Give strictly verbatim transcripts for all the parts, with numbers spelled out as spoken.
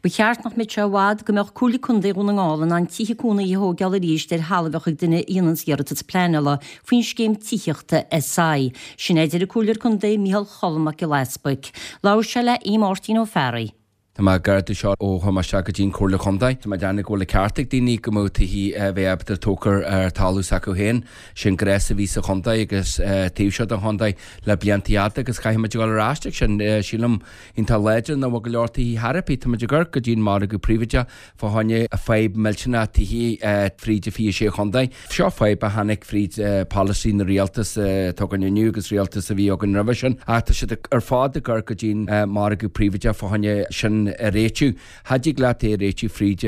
Ba cheart nach mbeadh sé i bhfad go mbeadh Comhairle Contae Dhún na nGall in ann tithe cónaithe a thógáil arís ar thalamh a bheadh ag duine a dhéananns iarratas pleanála faoin scéim tithíochta SI. Sin é a deir an Comhairleoir Contae Micheál Cholm Mac Giolla Easbuic. Labhair sé le Aodh Máirtín Ó Fearraigh. Tá mé gar do seo ó chuaigh mé isteach go dtí an Chomhairle Chontae. Tá mé ag déanamh go bhfuil an ceart ag daoine go mbeadh tithí a bheith ábalta tógtha ar talamh s'acu féin. Sin gnás a bhí sa chontae agus taobh seo den chontae le blianta fhada agus caithfidh muid a dhul ar ais ag sin. Sílim iontach láidir nach bhfuil go leor tithí thar ar bith. Tá muid ag amharc go dtí an margadh príobháideach fá choinne fadhb millteanach tithí fríd an fiche sé chontae. Seo fadhb a tháinig fríd polasaí na rialtas atá againn inniu agus rialtas a bhí againn roimhe sin. Ach tá siad ar fad ag amharc go dtí an margadh príobháideach fá choinne sin a réitiú. Cha dtig leat é a réitiú fríd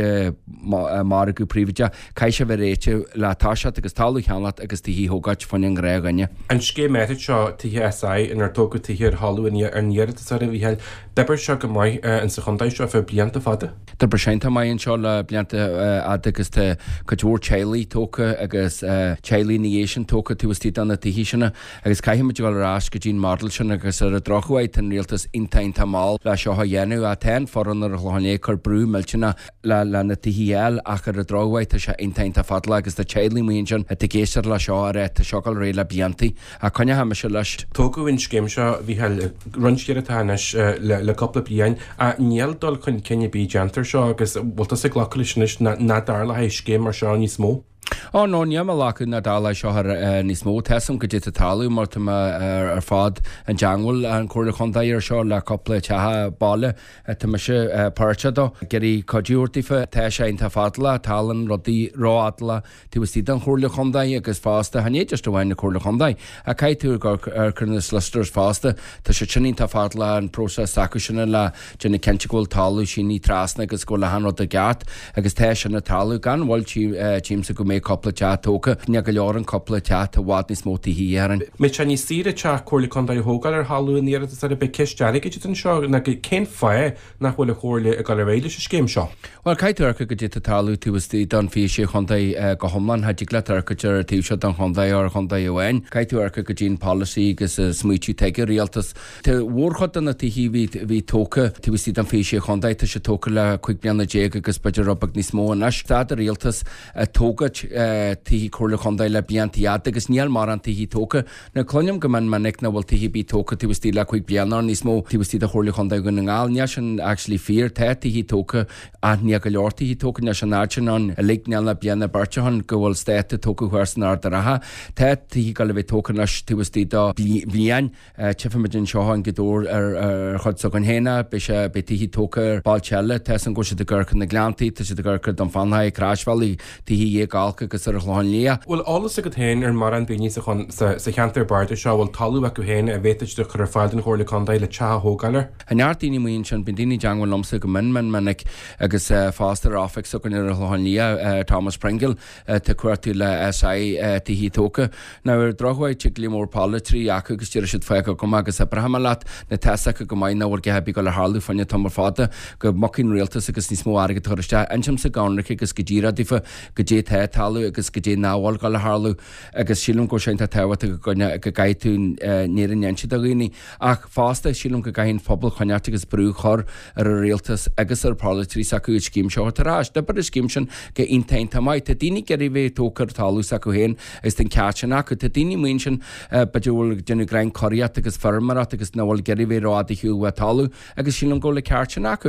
margadh príobháideach, caithfidh sé bheith réitithe le toiseacht agus talamh a cheannacht agus tithí a thógáilt fá choinne an ghnáthdhuine. An scéim áirid seo, Tithe SI, inar tógadh tithe ar thalamh ar an iarratas ar a Mhícheáil, d'oibir seo go maith insa chontae seo feadh blianta fada. D'oibir sé iontach maith anseo le blianta fhada agus tá cuid mhór teaghlaigh tógtha agus teaghlaigh ina dhiaidh sin tógtha taobh istigh de na tithe sin agus caithfidh muid a dhul ar ais go dtí an model sin agus ar an drochuair tá an rialtas iontach iontach mall le seo a dhéanamh. Ach tá an foireann ar an Chlochán Liath ag cur brú millteanach le le na tithe a fháil ach ar an drochuair tá sé iontach iontach fadálach agus tá teaghlaigh amuigh ansin atá ag éisteacht le seo a rá tá seo ag dul ar aghaidh le blianta ach coinneoidh mise leis. Tógadh an scéim seo, a Mhícheáil, roinnt atá anois le le cúpla bliain ach níl dul chun cinn ar bith déanta air seo agus bhfuil tusa ag glacadh leis anois nach dtarlóidh scéim mar seo níos mó? Ó no, níl mé ag glacadh nach dtarlóidh seo ar níos mó. Tá 'fhios a'm goidé tá ag tarlú mar tá mé ar fad i dteangmháil an Chomhairle Chontae ar seo le cúpla teach baile tá mise páirteach dó. Ag iarraidh cuidiú a thabhairt daofa. Tá sé iontach fadálach, tarlaíonn rudaí rófhadálach taobh istigh den Chomhairle Chontae agus fosta, chan é just amháin na Comhairle Chontae ach caithfidh tú ag amharc ar na solicitors fosta. Tá siad sin iontach fadálach an próiseas s'acu sin le déanamh cinnte go bhfuil talamh sínithe trasna agus go bhfuil achan rud i gceart agus tá sin ag tarlú. Gan mhoill tchímse go mbeidh cúpla teach tógtha. Ní go leor an cúpla teach, tá i bhfad níos mó tithe orainn. Mbeidh sé níos saoire teach Comhairle Contae a thógáil ar thalamh an iarratas ar bith ceist airgid anseo ná cén fáth nach bhfuil an Chomhairle ag dul ar aghaidh leis an scéim seo? Bhuel, caithfidh tú amharc goidé tá ag tarlú taobh istigh den fiche sé chontae go hiomlán. Cha dtig leat amharc ar an taobh seo den chontae ar chontae amháin. Caithfidh tú amharc go dtí an polasaí agus smaoitiú atá ag an rialtas. Tá mhórchuid de na tithe a bhí a bhí tógtha taobh istigh den fiche sé chontae, tá siad tógtha le cúig bliana déag agus b'fhéidir rud beag níos mó anois. Stad an rialtas ag tógaint tithe Comhairle Chontae le blianta fhada agus níl mórán tithe tógtha. Now cluinim go mion minic nach bhfuil tithe ar bith tógtha taobh istigh le cúig bliana or níos mó taobh istigh de Chomhairle Chontae Dhún na nGall. Níl sin actually fíor. Tá tithe tógtha ach níl go leor tithe tógtha. Níl sé an oiread sin ann uilig. Níl ach bliain nó beirt ó shin go bhfuil eastát tógtha thuas in Ard an Rátha. Tá tithe ag dul a bheith tógtha anois taobh istigh de bhliain. Tchífimid anseo i nGaoth Dobhair ar ar chuid s'againn féin é. Beidh sé beidh tithe tógtha ar bailte eile. Tá 'fhios a'm go bhfuil siad ag amharc ar na Gleanntaí, tá siad ag amharc ar Dún Fionnachaidh, Croisbhealaí, tithe Dhéag Olc agus ar an Chlochán Liath. Bhfuil eolas agat féin ar mórán daoine sa sa cheantar bardais seo a bhfuil talamh acu féin a bhféadfadh siad a chur ar fáil don Chomhairle Contae le teach a thógáil air? Tá neart daoine amuigh ansin, bíonn daoine i dteangmháil liomsa go mion mion minic agus fosta ar oifig s'againn ar an Chlochán Liath, Thomas Pringle, atá ag cuartú le SI tithe tógtha. Now ar an drochuair tig go leor polaiteoirí acu agus deir siad fág chugam é agus oibreoidh mé leat. Now tá 'fhios acu go maith nach bhfuil a dhath ar bith ag dul a tharlú fá choinne tamall fada go mbogfaidh an rialtas agus níos mó airgead a chur isteach. Insímse go hionraic agus go díreach daofa goidé tá ag tarlú agus goidé nach bhfuil ag dul a tharlú agus sílim go bhfuil sé iontach tábhachtach go go gcaithfidh tú an fhírinne a inse do dhaoine. Ach fosta sílim go gcaithfidh an pobal coinneáilt agus brú a chur ar an rialtas agus ar pholaiteoirí s'acu an scéim seo a thabhairt ar ais. D'oibrigh an scéim sin go iontach iontach maith. Tá daoine ag iarraidh bheith tógtha ar talamh s'acu féin agus tá an ceart sin acu. Tá daoine amuigh ansin b'fhéidir a bhfuil ag déanamh greim curaíocht agus feirmeoireacht agus nach bhfuil ag iarraidh bheith rófhada ar shiúl uaidh talamh agus sílim go bhfuil an ceart sin acu.